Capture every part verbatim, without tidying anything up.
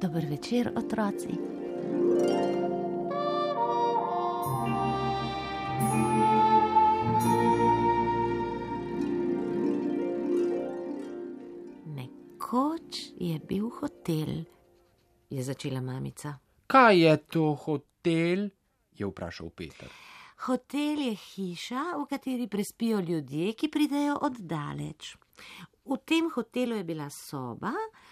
Dober večer, otroci. Nekoč je bil hotel, je začela mamica. Kaj je to hotel? Je vprašal Peter. Hotel je hiša, v kateri prespijo ljudje, ki pridejo od daleč. V tem hotelu je bila soba,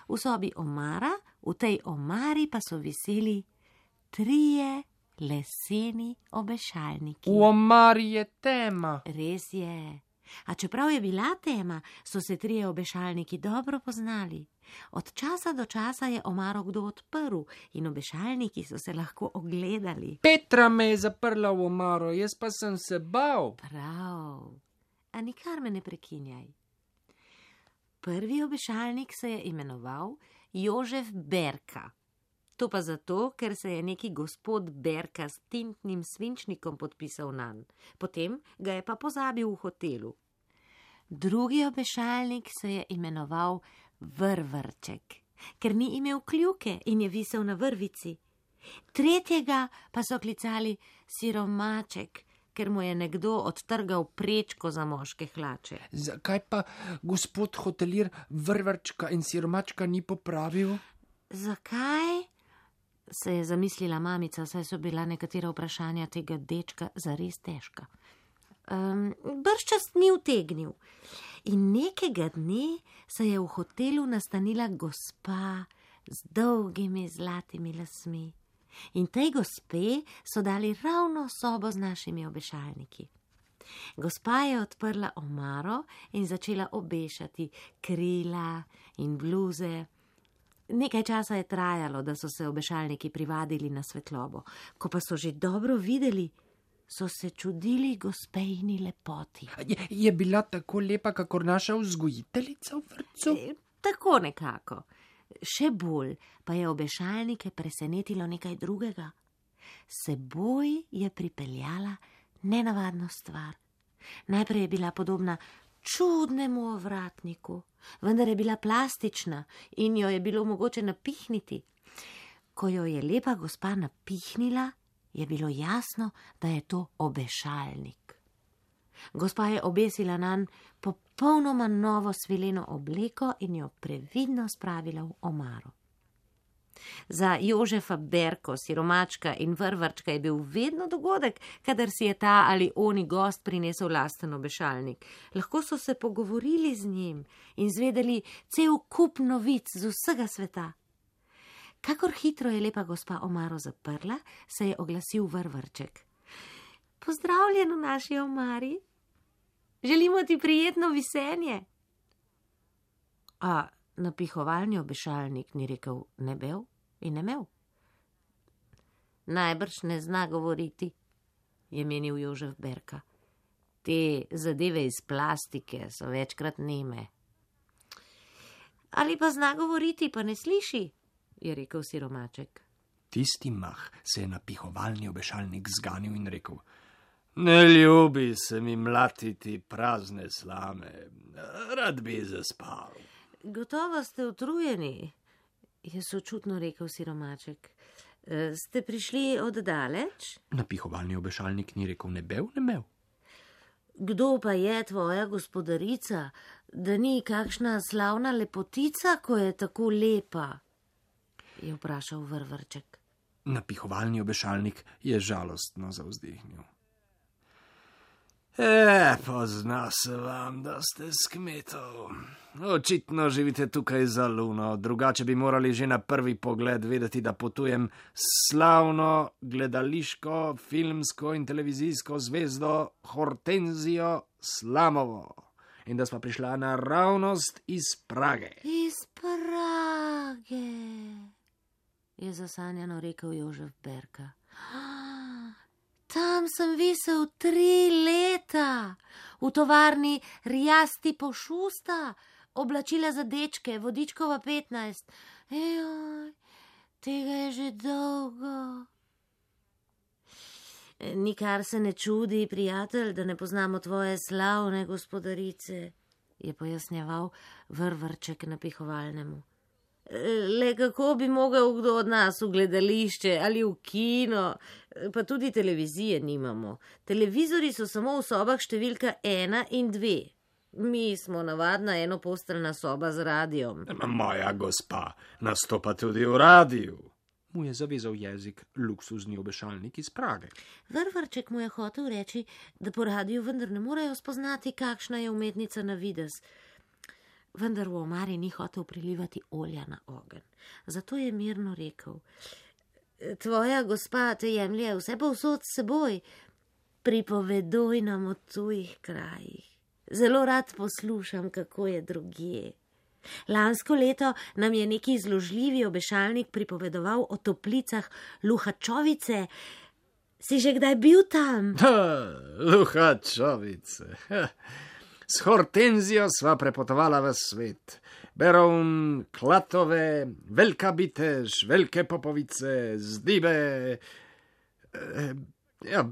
v sobi omara, v tej omari pa so viseli trije leseni obešalniki. V omari je tema. Res je. A čeprav je bila tema, so se trije obešalniki dobro poznali. Od časa do časa je omaro kdo odprl in obešalniki so se lahko ogledali. Petra me je zaprla v omaro, jaz pa sem se bal. Prav. A nikar me ne prekinjaj. Prvi obešalnik se je imenoval Jožef Berka. To pa zato, ker se je neki gospod Berka s tintnim svinčnikom podpisal nanj. Potem ga je pa pozabil v hotelu. Drugi obešalnik se je imenoval Vrvrček, ker ni imel kljuke in je visel na vrvici. Tretjega pa so klicali Siromaček, ker mu je nekdo odtrgal prečko za moške hlače. Zakaj pa gospod hotelir Vrvrčka in Siromačka ni popravil? Zakaj? Se je zamislila mamica, saj so bila nekatera vprašanja tega dečka zares težka. Um, Bržčas ni utegnil. In nekega dne se je v hotelu nastanila gospa z dolgimi zlatimi lasmi. In tej gospe so dali ravno sobo z našimi obešalniki. Gospa je odprla omaro in začela obešati krila in bluze. Nekaj časa je trajalo, da so se obešalniki privadili na svetlobo. Ko pa so že dobro videli, so se čudili gospejini lepoti. Je, je bila tako lepa, kakor naša vzgojiteljica v vrtcu? E, tako nekako. Še bolj pa je obešalnike presenetilo nekaj drugega. Seboj je pripeljala nenavadno stvar. Najprej je bila podobna čudnemu ovratniku, vendar je bila plastična in jo je bilo mogoče napihniti. Ko jo je lepa gospa napihnila, je bilo jasno, da je to obešalnik. Gospa je obesila nanj popolnoma novo svileno obleko in jo previdno spravila v omaro. Za Jožefa Berko, Siromačka in Vrvrčka je bil vedno dogodek, kadar si je ta ali oni gost prinesel lasten obešalnik. Lahko so se pogovorili z njim in zvedeli cel kup novic z vsega sveta. Kakor hitro je lepa gospa omaro zaprla, se je oglasil Vrvrček. Pozdravljen v naši omari. Želimo ti prijetno visenje. A napihovalni obešalnik ni rekel ne bel in ne mev. Najbrž ne zna govoriti, je menil Jožef Berka. Te zadeve iz plastike so večkrat neme. Ali pa zna govoriti, pa ne sliši, je rekel Siromaček. Tisti mah se je napihovalni obešalnik zganil in rekel: Ne ljubi se mi mlatiti prazne slame, rad bi zaspal. Gotovo ste utrujeni, je sočutno rekel Siromaček. E, ste prišli od daleč? Napihovalni obešalnik ni rekel ne bev, ne mev. Kdo pa je tvoja gospodarica, da ni kakšna slavna lepotica, ko je tako lepa? Je vprašal Vrvrček. Napihovalni obešalnik je žalostno zavzdihnil. E, pozna se vam, da ste s kmetov. Očitno živite tukaj za luno, drugače bi morali že na prvi pogled vedeti, da potujem slavno gledališko, filmsko in televizijsko zvezdo Hortenzijo Slamovo in da sva prišla naravnost iz Prage. Iz Prage, je zasanjano rekel Jožef Berka. Tam sem visel tri leta, v tovarni Rjasti Pošusta, oblačila za dečke, Vodičkova petnajst. Ejoj, tega je že dolgo. Nikar se ne čudi, prijatelj, da ne poznamo tvoje slavne gospodarice, je pojasnjeval Vrvrček napihovalnemu. Le kako bi mogel kdo od nas v gledališče ali v kino, pa tudi televizije nimamo. Televizori so samo v sobah številka ena in dve. Mi smo navadna enoposteljna soba z radijom. Moja gospa, nastopa tudi v radiju. Mu je zavezal jezik luksuzni obešalnik iz Prage. Vrvrček mu je hotel reči, da po radiju vendar ne morejo spoznati, kakšna je umetnica na videz. Vendar v omari ni hotel prilivati olja na ogenj. Zato je mirno rekel: Tvoja gospa te jemlje vse povsod s seboj. Pripoveduj nam o tujih krajih. Zelo rad poslušam, kako je drugje. Lansko leto nam je neki zložljivi obešalnik pripovedoval o toplicah Luhačovice. Si že kdaj bil tam? Ha, Luhačovice. Ha. S Hortenzijo sva prepotovala v svet. Berovn, Klatove, Velika Bitež, Velike Popovice, Zdibe. E, ja,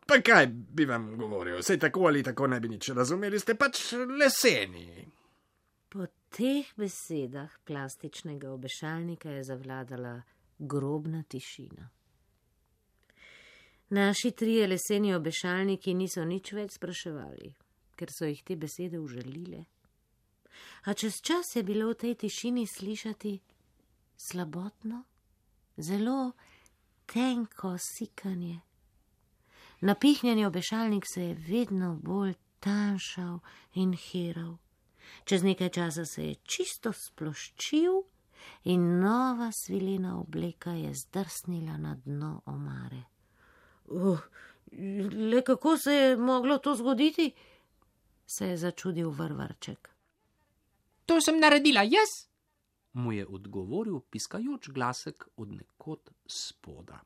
pa kaj bi vam govoril? Sej tako ali tako ne bi nič razumeli, ste pač leseni. Po teh besedah plastičnega obešalnika je zavladala grobna tišina. Naši trije leseni obešalniki niso nič več spraševali, ker so jih te besede užalile. A čez čas je bilo v tej tišini slišati slabotno, zelo tenko sikanje. Napihnjeni obešalnik se je vedno bolj tanjšal in hiral. Čez nekaj časa se je čisto sploščil in nova svilena obleka je zdrsnila na dno omare. Uh, le kako se je moglo to zgoditi? Se je začudil Vrvrček. To sem naredila jaz, mu je odgovoril piskajoč glasek od nekod spoda.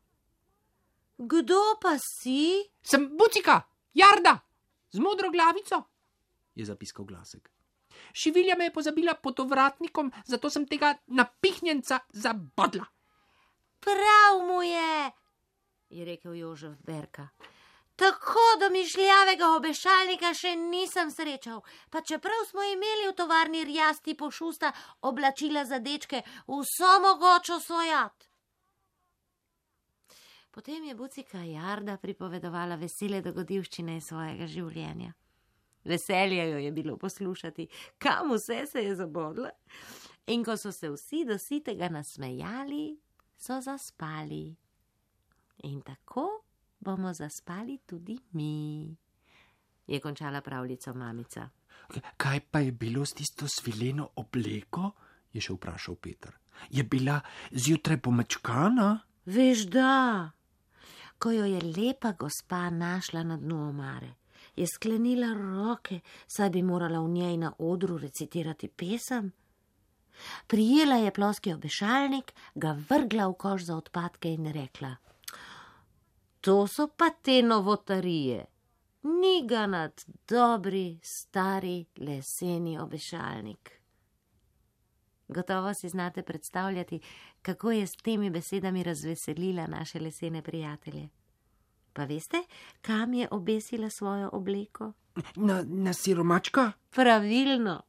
Kdo pa si? Sem Bucika, Jarda, z modro glavico, je zapiskal glasek. Šivilja me je pozabila pod ovratnikom, zato sem tega napihnjenca zabodla. Prav mu je, je rekel Jožef Berka. Tako domišljavega obešalnika še nisem srečal, pa čeprav smo imeli v tovarni Rjasti Pošusta oblačila za dečke, vso mogočo svojat. Potem je Bucika Jarda pripovedovala vesele dogodivščine svojega življenja. Veselje jo je bilo poslušati, kam vse se je zabodla. In ko so se vsi do sitega nasmejali, so zaspali. In tako bomo zaspali tudi mi, je končala pravljico mamica. Kaj pa je bilo s tisto svileno obleko? Je še vprašal Peter. Je bila zjutraj pomečkana? Veš da, ko jo je lepa gospa našla na dnu omare, je sklenila roke, saj bi morala v njej na odru recitirati pesem. Prijela je ploski obešalnik, ga vrgla v koš za odpadke in rekla: To so pa te novotarije, ni ga nad dobri, stari, leseni obešalnik. Gotovo si znate predstavljati, kako je s temi besedami razveselila naše lesene prijatelje. Pa veste, kam je obesila svojo obleko? Na, na siromačka? Pravilno,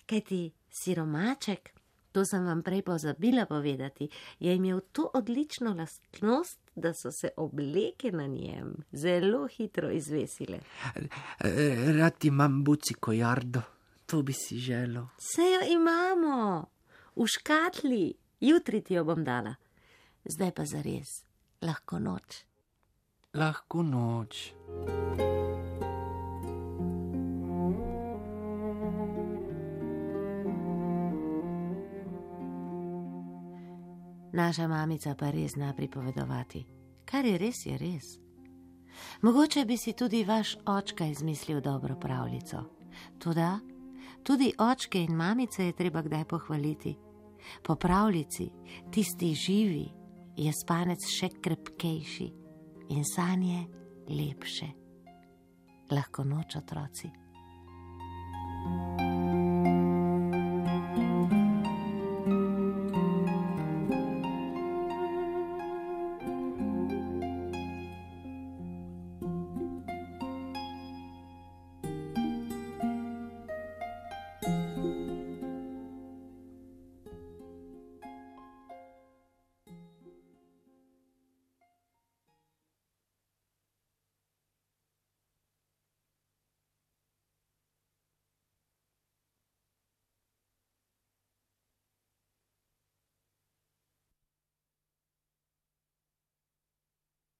kajti siromaček, to sem vam prej pozabila povedati, je imel to odlično lastnost, da so se obleke na njem zelo hitro izvesile. Rad imam Buciko Jardo, to bi si želel. Se jo imamo, v škatli, jutri ti jo bom dala. Zdaj pa zares, lahko noč. Lahko noč. Naša mamica pa res zna pripovedovati. Kar je res, je res. Mogoče bi si tudi vaš očka izmislil dobro pravljico. Toda tudi očke in mamice je treba kdaj pohvaliti. Po pravljici, tisti živi, je spanec še krepkejši in sanje lepše. Lahko noč, otroci.